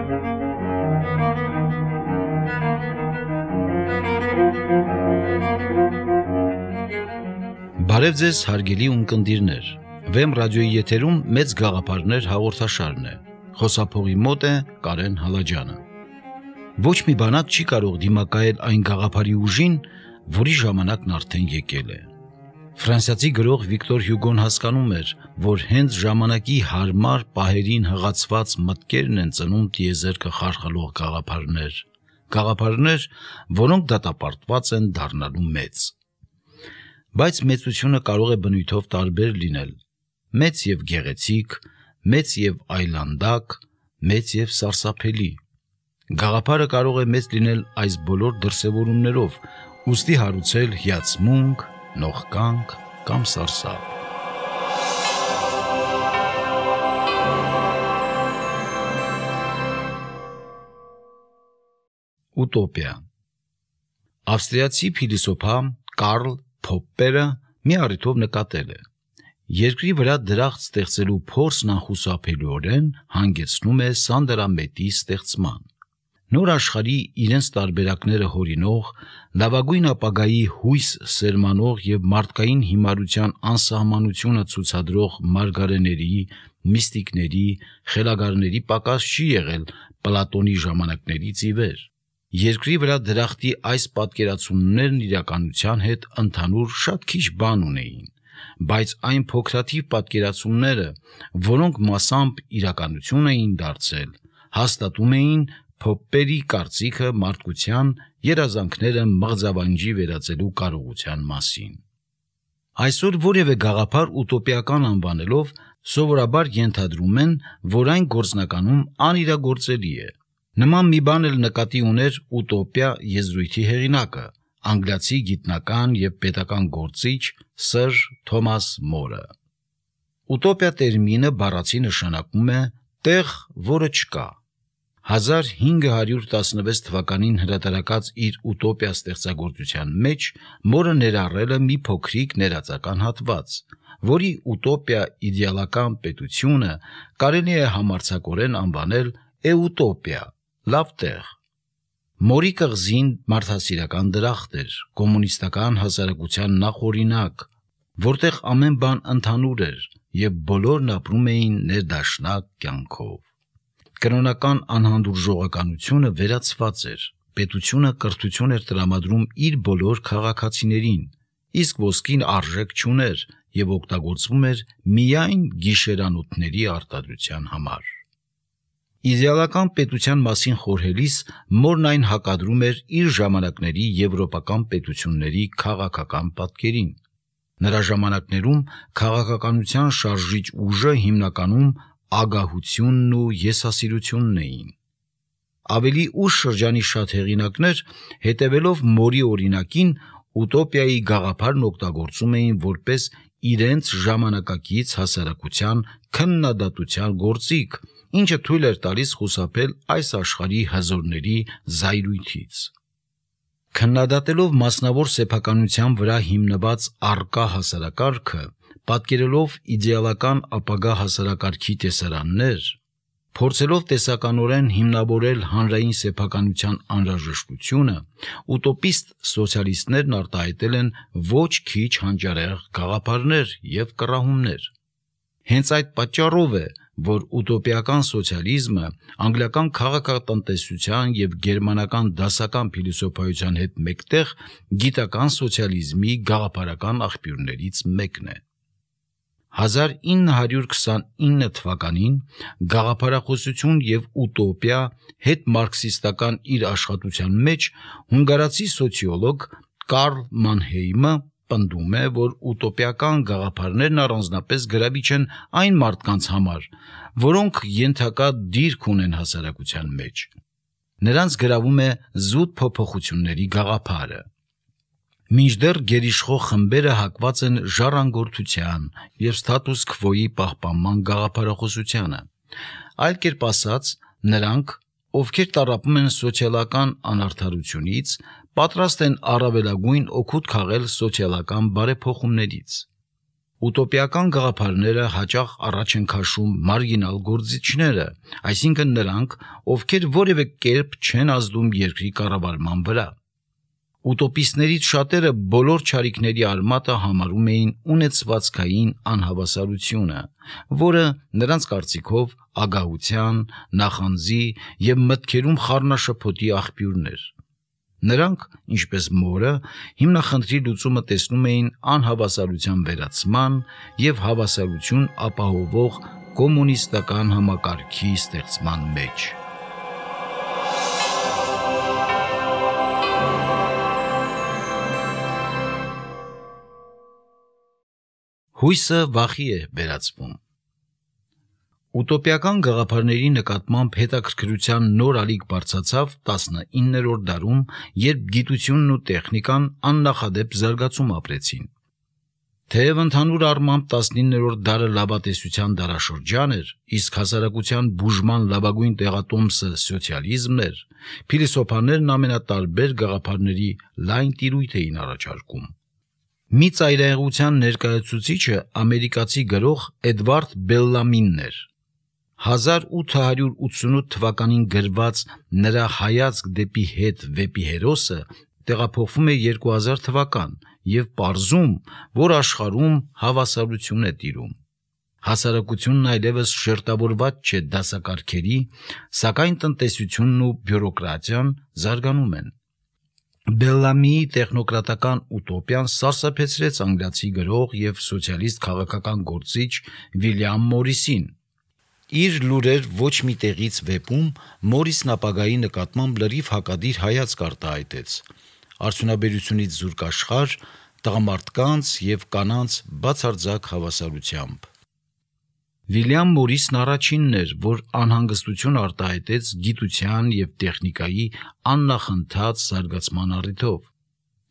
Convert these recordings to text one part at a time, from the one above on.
Բարև ձեզ հարգելի ունկնդիրներ, Վեմ ռադիոյի եթերում մեծ գաղափարներ հաղորդաշարն է, խոսափողի մոտ է Կարեն Հալաջյանը։ Ոչ մի բանակ չի կարող դիմակայել այն գաղափարի ուժին, որի ժամանակն արդեն եկել է։ Ֆրանսիացի գրող Վիկտոր Հյուգոն հասկանում էր, որ հենց ժամանակի հարմար պահերին հղացված մտքերն են ծնում տիեզերքը խարխլող գաղափարներ, որոնք դատապարտված են դառնալու մեծ։ Բայց մեծությունը կարող է բնույթով տարբեր լինել, մեծ և գեղեցիկ, մեծ և այլանդակ, մեծ և սարսափելի։ Գաղափարը կարող է մեծ լինել այս բոլոր դրսևորումներով, ուստի հարուցել հիացմունք, նողկանք կամ սարսափ։ Ուտոպիա։ Ավստրիացի փիլիսոփա Կարլ Փոպպերը մի առիթով նկատել է. երկրի վրա դրախտ ստեղծելու փորձն անխուսափելիորեն հանգեցնում է սանդարամետի ստեղծման։ Նոր աշխարհի իրենց տարբերակները հորինող, լավագույն ապագայի հույս սերմանող և մարդկային հիմարության անսահմանությունը ցուցադրող մարգարեների, միստիկների, խելագարների պակաս չի եղել Պլատոնի ժամանակներից ի վեր։ Երկրի վրա դրախտի այս պատկերացումներն իրականության հետ ընդհանուր շատ քիչ բան ունեին, բայց այն փոքրաթիվ պատկերացումները, որոնք մասամբ իրականություն էին դարձել, հաստատում էին Փոպպերի կարծիքը մարդկության երազանքները մղձավանջի վերածելու կարողության մասին։ Այսօր որևէ գաղափար ուտոպիական անվանելով սովորաբար ենթադրում են, որ այն գործնականում անիրագործելի է։ Նման մի բան էլ նկատի ուներ ուտոպիա եզրույթի հեղինակը, անգլիացի գիտնական և պետական գործիչ Սըր Թոմաս Մորը։ Ուտոպիա տերմինը բառացի նշանակում է տեղ, որը չկա։ 1516 թվականին հրատարակած իր ուտոպիա ստեղծագործության մեջ Մորը ներառել է մի փոքրիկ ներածական հատված, որի ուտոպիա իդեալական պետությունը կարելի է համարձակորեն անվանել էուտոպիա, լավ տեղ։ Մորի կղզին մարդասիրական դրախտ էր, կոմունիստական հասարակության նախօրինակ, որտեղ ամեն բան ընդհանուր էր և բոլորն ապրում էին ներդաշնակ կյանքով։ Կրոնական անհանդուրժողականությունը վերացված էր, պետությունը կրթություն էր տրամադրում իր բոլոր քաղաքացիներին, իսկ ոսկին արժեք չուներ և օգտագործվում էր միայն գիշերանոթների արտադրության համար։ Իդեալական պետության մասին խորհելիս Մորն այն հակադրում էր իր ժամանակների եվրոպական պետությունների քաղաքական պատկերին։ Նրա ժամանակներում քաղաքականության շարժիչ ուժը հիմնականում ագահությունն ու եսասիրությունն էին։ Ավելի ուշ շրջանի շատ հեղինակներ, հետևելով Մորի օրինակին, ուտոպիայի գաղափարն օգտագործում էին որպես իրենց ժամանակակից հասարակության քննադատության գործիք, ինչը թույլ էր տալիս խուսափել այս աշխարհի հզորների զայրույթից։ Քննադատելով մասնավոր սեփականության վրա հիմնված առկա հասարակարգը, պատկերելով իդեալական ապագա հասարակարգի տեսարաններ, փորձելով տեսականորեն հիմնավորել հանրային սեփականության անհրաժեշտությունը, ուտոպիստ սոցիալիստներն արտահայտել են ոչ քիչ հանճարեղ գաղափարներ և կռահումներ։ Հենց այդ պատճառով է, որ ուտոպիական սոցիալիզմը անգլիական քաղաքատնտեսության և գերմանական դասական փիլիսոփայության հետ մեկտեղ գիտական սոցիալիզմի գաղափարական աղբյուրներից մեկն է։ 1929 թվականին «Գաղափարախոսություն և ուտոպիա» հետմարքսիստական իր աշխատության մեջ հունգարացի սոցիոլոգ Կարլ Մանհեյմը պնդում է, որ ուտոպիական գաղափարներն առանձնապես գրավիչ են այն մարդկանց համար, որոնք ենթակա դիրք ունեն հասարակության մեջ։ Նրանց գրավում է զուտ փոփոխությունների գաղափարը։ Մինչդեռ գերիշխող խմբերը հակված են ժառանգորդության և ստատուս քվոյի պահպանման գաղափարախոսությանը։ Այլ կերպ ասած, նրանք, ովքեր տառապում են սոցիալական անարդարությունից, պատրաստ են առավելագույն օգուտ քաղել սոցիալական բարեփոխումներից։ Ուտոպիական գաղափարները հաճախ առաջ են քաշում մարգինալ գործիչները, այսինքն նրանք, ովքեր որևէ կերպ չեն ազդում երկրի կառավարման վրա։ Ուտոպիստներից շատերը բոլոր չարիքների արմատը համարում էին ունեցվածքային անհավասարությունը, որը նրանց կարծիքով ագահության, նախանձի և մտքերում խառնաշփոթի աղբյուրն էր։ Նրանք, ինչպես Մորը, հիմնախնդրի լուծումը տեսնում էին անհավասարության վերացման և հավասարություն ապահովող կոմունիստական համակարգի ստեղծման մեջ։ Հույսը վախի է վերածվում։ Ուտոպիական գաղափարների նկատմամբ հետաքրքրության նոր ալիք բարձրացավ 19-րդ դարում, երբ գիտությունն ու տեխնիկան աննախադեպ զարգացում ապրեցին։ Թեև ընդհանուր առմամբ 19-րդ դարը լավատեսության դարաշրջան էր, իսկ հասարակության բուժման լավագույն տեղատոմսը սոցիալիզմն էր, փիլիսոփաներն ամենատարբեր գաղափարների լայն տիրույթ էին առաջարկում։ Մի ծայրահեղության ներկայացուցիչը ամերիկացի գրող Էդվարդ Բելլամինն էր։ 1888 թվականին գրված նրա հայացք դեպի հետ վեպի հերոսը տեղափոխվում է 2000 թվական և պարզում, որ աշխարհում հավասարություն է տիրում։ Հասարակությունն այլևս շերտավորված չէ դասակարգերի, սակայն տնտեսությունն ու բյուրոկրատիան զարգանում են։ Բելլամիի տեխնոկրատական ուտոպիան սարսափեցրեց անգլիացի գրող և սոցիալիստ քաղաքական գործիչ Վիլյամ Մորիսին։ Իր «Լուրեր ոչ մի տեղից» վեպում Մորիսն ապագայի նկատմամբ լրիվ հակադիր հայացք արտահայտեց՝ արդյունաբերությունից զուրկ աշխարհ, տղամարդկանց և կանանց բացարձակ հավասարությամբ։ Վիլյամ Մորիսն առաջինն էր, որ անհանգստություն արտահայտեց գիտության և տեխնիկայի աննախընթաց զարգացման առիթով։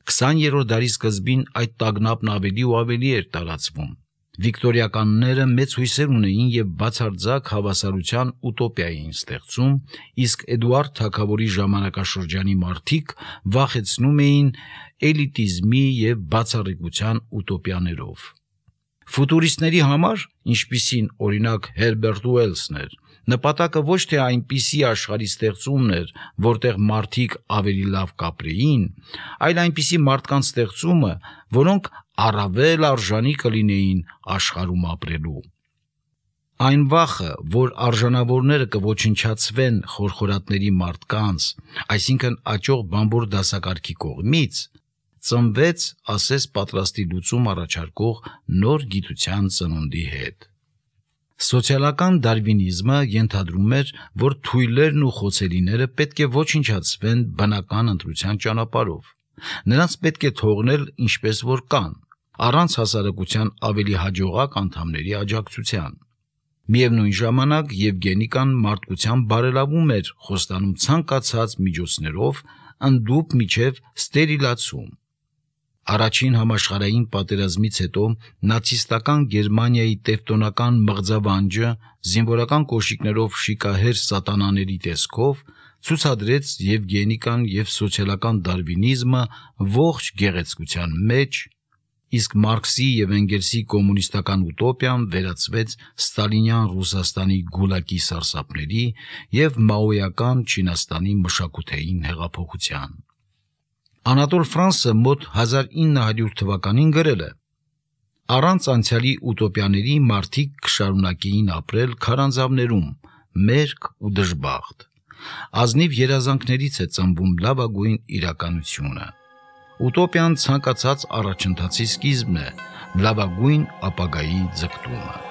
20-րդ դարի սկզբին այդ տագնապն ավելի ու ավելի էր տարածվում։ Վիկտորիականները մեծ հույսեր ունեին և բացարձակ հավասարության ուտոպիա էին ստեղծում, իսկ Էդուարդ թագավորի ժամանակաշրջանի մարդիկ վախեցնում էին էլիտիզմի և բացառիկության ուտոպիաներով։ Ֆուտուրիստների համար, ինչպիսին օրինակ Հերբերտ Ուելսն էր, նպատակը ոչ թե այնպիսի աշխարհի ստեղծումն էր, որտեղ մարդիկ ավելի լավ կապրեին, այլ այնպիսի մարդկանց ստեղծումը, որոնք առավել արժանի կլինեին աշխարհում ապրելու։ Այն վախը, որ արժանավորները կոչնչացվեն խորխորատների մարդկանց, այսինքն աճող բանվոր դասակարգի կողմից, ծնվեց ասես պատրաստի լուծում առաջարկող նոր գիտության ծնունդի հետ։ Սոցիալական դարվինիզմը ենթադրում էր, որ թույլերն ու խոցելիները պետք է ոչնչացվեն բնական ընտրության ճանապարհով։ Նրանց պետք է թողնել ինչպես որ կան, առանց հասարակության ավելի հաջողակ անդամների աջակցության։ Միևնույն ժամանակ Եվգենիկան մարդկության բարելավում էր խոստանում ցանկացած միջոցներով ընդդուք մինչև ստերիլացում։ Առաջին համաշխարհային պատերազմից հետո նացիստական Գերմանիայի տևտոնական մղձավանջը զինվորական կոշիկներով շիկահեր սատանաների տեսքով ցուցադրեց Եվգենիկան և սոցիալական դարվինիզմը ողջ գեղեցկության մեջ, իսկ Մարքսի և Էնգելսի կոմունիստական ուտոպիան վերածվեց ստալինյան Ռուսաստանի գուլագի սարսափների և մաոյական Չինաստանի մշակութային հեղափոխության։ Անատոլ Ֆրանսը մոտ 1900 թվականին գրել է. «Առանց անցյալի ուտոպիաների մարդիկ կշարունակեին ապրել քարանձավներում, մերկ ու դժբախտ։ Ազնիվ երազանքներից է ծնվում լավագույն իրականությունը։ Ուտոպիան ցանկացած առաջընթացի սկիզբն է, լավագույն ապագայի ձգտումը»։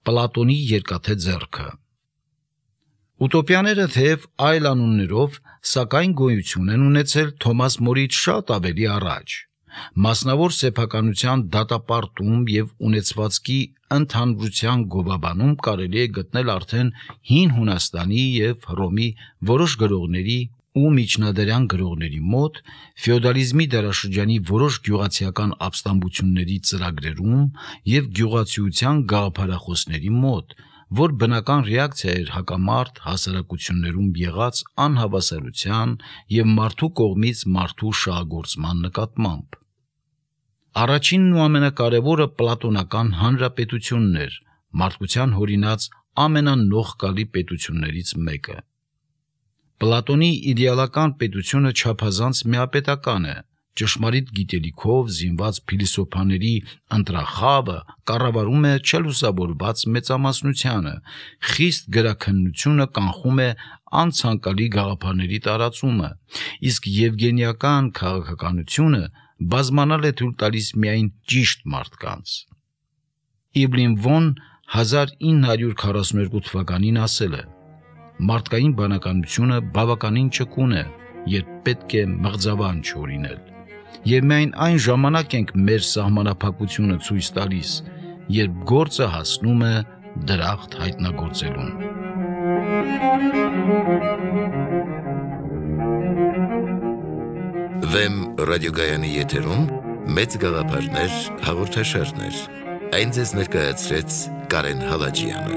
Պլատոնի երկաթե ձեռքը։ Ուտոպիաները թեև այլ անուններով, սակայն գոյություն են ունեցել Թոմաս Մորից շատ ավելի առաջ։ Մասնավոր սեփականության դատապարտում և ունեցվածքի ընդհանրության գովաբանում կարելի է գտնել արդեն հին Հունաստանի և Հռոմի որոշ գրողների ու միջնադարյան գրողների մոտ, ֆեոդալիզմի դարաշրջանի որոշ գյուղացիական ապստամբությունների ծրագրերում և գյուղացիության գաղափարախոսների մոտ, որ բնական ռեակցիա էր հակամարտ հասարակություններում եղած անհավասարության եւ մարդու կողմից մարդու շահագործման նկատմամբ։ Առաջինն ու ամենակարևորը պլատոնական հանրապետությունն էր, մարդկության հորինած ամենանողկալի պետություններից մեկը։ Պլատոնի իդեալական պետությունը չափազանց միապետական է, ճշմարիտ գիտելիքով զինված փիլիսոփաների ընտրախավը կառավարում է չլուսավորված մեծամասնությանը, խիստ գրաքննությունը կանխում է անցանկալի գաղափարների տարածումը, իսկ եվգենիական քաղաքականությունը բազմանալ է թույլ տալիս միայն ճիշտ մարդկանց։ Իբլին Վոն 1942 թվականին ասել է. «Մարդկային բանականությունը բավականին ճկուն է, երբ պետք է մղձավան չօրինել, եւ միայն այն ժամանակ ենք մեր սահմանափակությունը ցույց տալիս, երբ գործը հասնում է դրախտ հայտնագործելուն»։ Վեմ ռադիոգայանի եթերում մեծ գաղափարներ հաղորդաշարներ։ Այն ձեզ ներկայացրեց Կարեն Հալաջյանը։